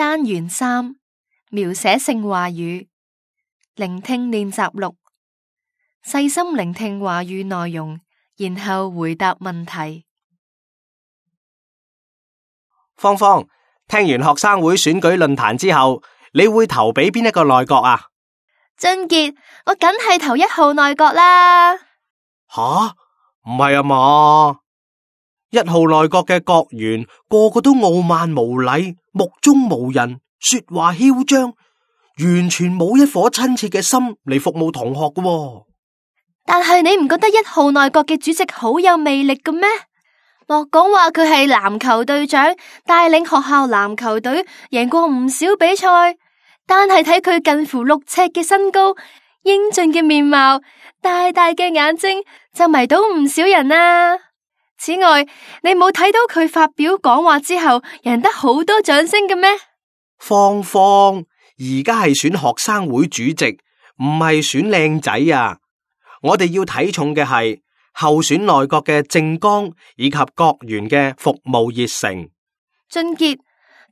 單元3描寫性話語，聆聽練習錄，細心聆聽話語內容，然後回答問題。芳芳，聽完學生會選舉論壇之後，你會投俾邊一個內閣啊？俊傑，我梗係投1號內閣啦。吓？唔係啊嘛？1號內閣嘅閣員個個都傲慢無禮、目中無人、說話囂張，完全冇一顆親切嘅心嚟服務同學㗎喎。但係你唔覺得1號內閣嘅主席好有魅力嘅咩？莫講話佢係籃球隊長，帶領學校籃球隊贏過唔少比賽，單係睇佢近乎6尺嘅身高、英俊嘅面貌、大大嘅眼睛，就迷倒唔少人啦。此外，你冇睇到佢發表講話之後，贏得好多掌聲嘅咩？芳芳，而家係選學生會主席，唔係選靚仔啊！我哋要睇重嘅係候選內閣嘅政綱以及閣員嘅服務熱誠。俊傑，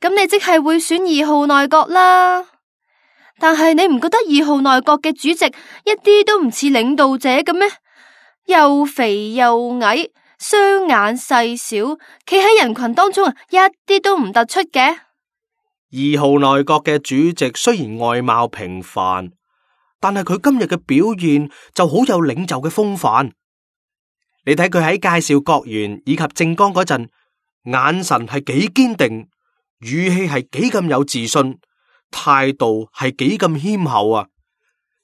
咁你即係會選2號內閣啦。但係你唔覺得2號內閣嘅主席一啲都唔似領導者嘅咩？又肥又矮，雙眼細小，企喺人群當中一啲都唔突出嘅。2號內閣嘅主席雖然外貌平凡，但係佢今日嘅表現就好有領袖嘅風範。你睇佢喺介紹閣員以及政綱嗰陣，眼神係幾堅定，語氣係幾咁有自信，態度係幾咁謙厚啊！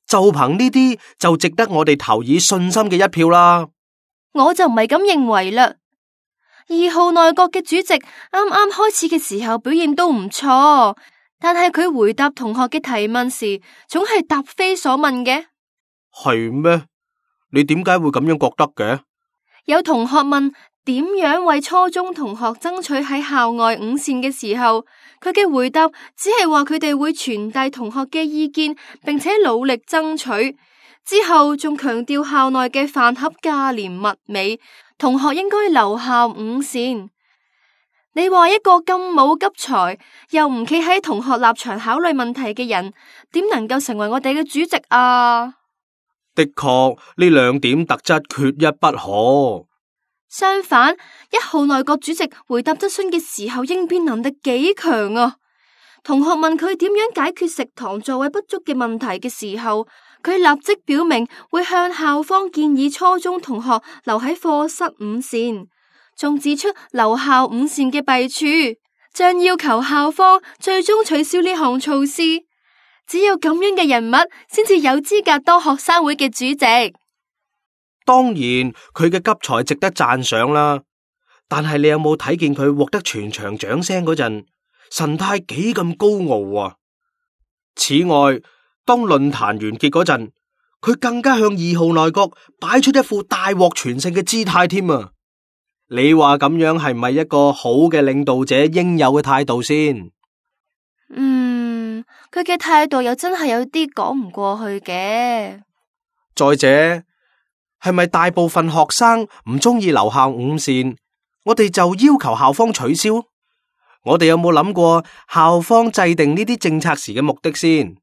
就憑呢啲就值得我哋投以信心嘅一票啦。我就唔係咁認為啦。2號內閣嘅主席啱啱開始嘅時候表現都唔錯，但係佢回答同學嘅提問時，總係答非所問嘅。係咩？你點解會咁樣覺得嘅？有同學問點樣為初中同學爭取喺校外午膳嘅時候，佢嘅回答只係話佢哋會傳遞同學嘅意見，並且努力爭取。之後仲強調校內嘅飯盒價廉物美，同學應該留校午膳。你話一個咁冇急才，又唔企喺同學立場考慮問題嘅人，點能夠成為我哋嘅主席啊？的確，呢2點特質缺一不可。相反，1號內閣主席回答質詢嘅時候，應變能力幾強啊！同學問佢點樣解決食堂座位不足嘅問題嘅時候，佢立即表明會向校方建議初中同學留喺課室午膳，仲指出留校午膳嘅弊處，將要求校方最終取消呢項措施。只有咁樣嘅人物，先至有資格當學生會嘅主席。當然，佢嘅急才值得讚賞啦。但係你有冇睇見佢獲得全場掌聲嗰陣，神態幾咁高傲啊？此外，當論壇完結嗰陣，佢更加向2號內閣擺出一副大獲全勝嘅姿態添啊！你話咁樣係唔係一個好嘅領導者應有嘅態度先？佢嘅態度又真係有啲講唔過去嘅。再者，係咪大部分學生唔中意留校午膳，我哋就要求校方取消？我哋有冇諗過校方制定呢啲政策時嘅目的先？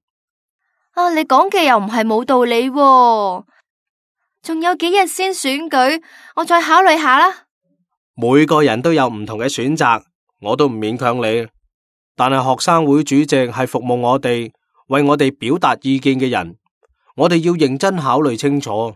你講嘅又唔係冇道理喎。仲有幾日先選舉，我再考慮下啦。每個人都有唔同嘅選擇，我都唔勉強你。但係學生會主席係服務我哋，為我哋表達意見嘅人，我哋要認真考慮清楚。